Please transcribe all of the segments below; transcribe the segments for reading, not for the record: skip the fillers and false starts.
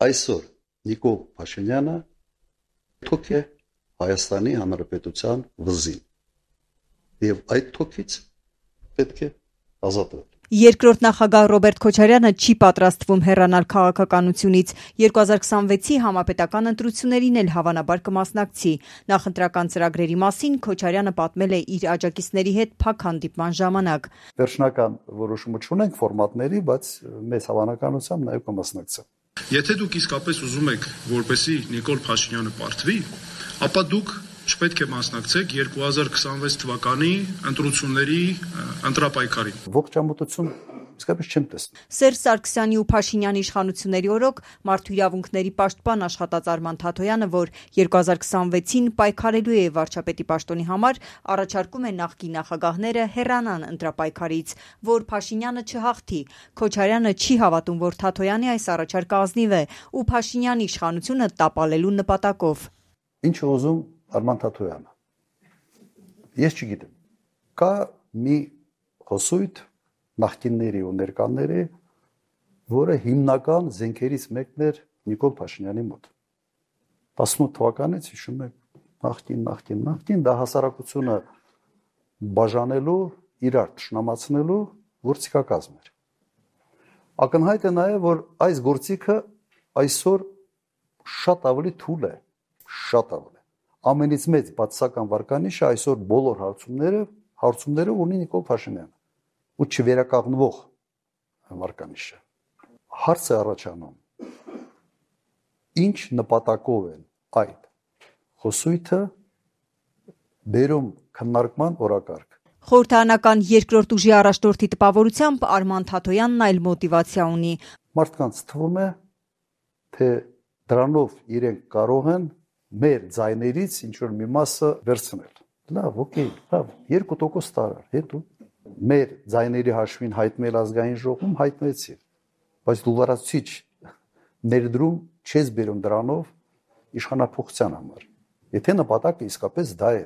Այսօր Նիկոլ Փաշինյանը թոք է Հայաստանի Հանրապետության վզին եւ այդ թոքից պետք է ազատվել։ Երկրորդ նախագահ Ռոբերտ Քոչարյանը չի պատրաստվում հեռանալ քաղաքականությունից, 2026-ի համապետական ընտրություններին էլ հավանաբար կմասնակցի։ Նախընտրական ծրագրերի մասին Քոչարյանը պատմել է իր աջակիցների հետ փակ հանդիպման ժամանակ։ Վերջնական որոշումը չունենք ֆորմատների, բայց մեծ հավանականությամբ նաեւ կմասնակցեմ։ Եթե դուք իսկապես ուզում եք, որպեսզի Նիկոլ Փաշինյանը պարտվի, ապա դուք չպետք է մասնակցեք 2026 թվականի ընտրությունների ընտրապայքարին։ Ողջամտություն իսկապես չեմ տեսնում։ Սերժ Սարգսյանի ու Փաշինյանի իշխանությունների օրոք մարդու իրավունքների պաշտպան աշխատած Արման Թաթոյանը, որ 2026-ին պայքարելու է վարչապետի պաշտոնի համար, առաջարկում է նախկին նախագահները հեռանան ընտրապայքարից, որ Փաշինյանը չհաղթի։ Քոչարյանը չի հավատում, որ Թաթոյանի այս առաջարկը ազնիվ է ու Փաշինյանի իշխանությունը տապալելու նպատակով։ Ինչ է ուզում Արման Թաթոյանը։ Ես չգիտեմ։ Կա մի խոսույթ նախկինների ու ներկաների, որը հիմնական զենքերից մեկն էր Նիկոլ Փաշինյանի մոտ։ 18 թվականից հիշում եք նախկին դա հասարակությունը բաժանելու, իրար թշնամացնելու գործիքակազմ էր։ Ակնհայտ է նաև, որ այս գործիքը այսօր շատ ավելի թույլ է, շատ ավելի։ Ամենից մեծ բացասական վարկանիշը այսօր բոլոր հարցումները ունի Նիկոլ Փաշինյանը ու չվերականգնվող վարկանիշը։ Հարց է առաջանում. ինչ նպատակով են այդ խոսույթը բերում քննարկման օրակարգ։ Խորհրդարանական երկրորդ ուժի առաջնորդի տպավորությամբ Արման Թաթոյանն այլ մոտիվացիա ունի։ Մարդկանց թվում է, թե դրանով իրենք կարող են մեր ձայներից ինչ-որ մի մասը վերցնել։ Լավ, օքեյ, լավ, 2% տարար, հետո մեր ձայների հաշվին հայտնել ազգային ժողովում հայտնեցի, բայց դու լրացուցիչ ներդրում չես բերում դրանով իշխանափոխության համար։ Եթե նպատակը իսկապես դա է,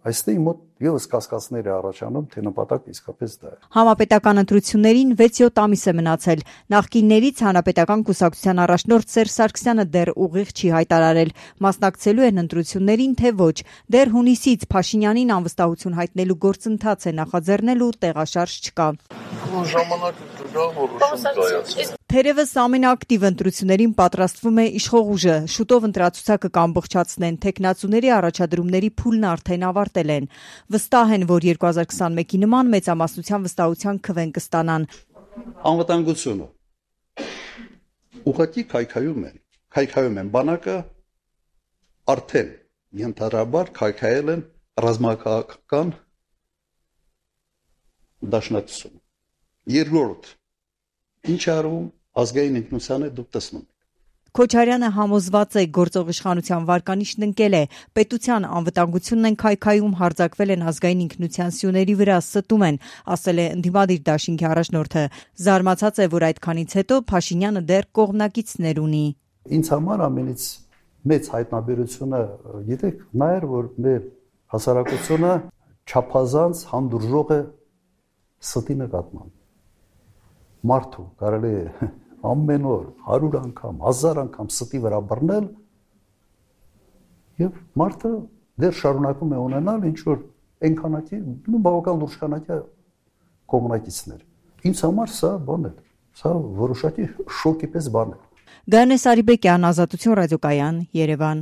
այստեղ մոտ եւս կասկածներ է առաջանում, թե նպատակը իսկապես դա է։ Համապետական ընտրություններին 6-7 ամիս է մնացել։ Նախկիններից Հանրապետական կուսակցության առաջնորդ Սերժ Սարգսյանը դեռ ուղիղ չի հայտարարել, մասնակցելու են ընտրություններին, թե ոչ։ Դեռ հունիսից Փաշինյանին անվստահություն հայտնելու գործընթաց է նախաձեռնել ու տեղաշարժ չկա։ Թերևս ամենաակտիվ ընտրություններին պատրաստվում է իշխող ուժը։ Շուտով ընտրացուցակը կամբողջացնեն, թեկնածուների առաջադրումների փուլն արդեն ավարտել են։ Վստահ են, որ 2021-ի նման մեծամասնության վստահության քվեն կստանան։ Անվտանգությունը ուղղակի քայքայում են բանակը արդեն ենթադրաբար քայքայել են ռազմաքաղաքական դաշնակցություն։ Երկրորդ ինչ արվում ազգային ինքնությանը դուք տեսնում եք։ Քոչարյանը համոզված է գործող իշխանության վարկանիշն ընկել է, պետության անվտանգությունն են քայքայում, հարձակվել են ազգային ինքնության սյուների վրա, ստում են, ասել է ընդդիմադիր դաշինքի առաջնորդը։ Զարմացած է, որ այդքանից հետո Փաշինյանը դեռ կողմնակիցներ ունի։ Ինձ համար ամենից մեծ հայտնաբերությունը, գիտեք, նա էր, որ մեր հասարակությունը չափազանց հանդուրժող է ստի նկատմամբ։ Մարդու կարելի է ամեն օր 100 անգամ, 1000 անգամ ստի վրա բռնել եւ մարդը դեռ շարունակում է ունենալ ինչ որ այնքանակի, բավական լուրջ քանակի կողմնակիցներ։ Ինձ համար սա բան է, սա որոշակի շոկի պես բան է։ Գայանե Սարիբեկյան, Ազատություն ռադիոկայան, Երևան։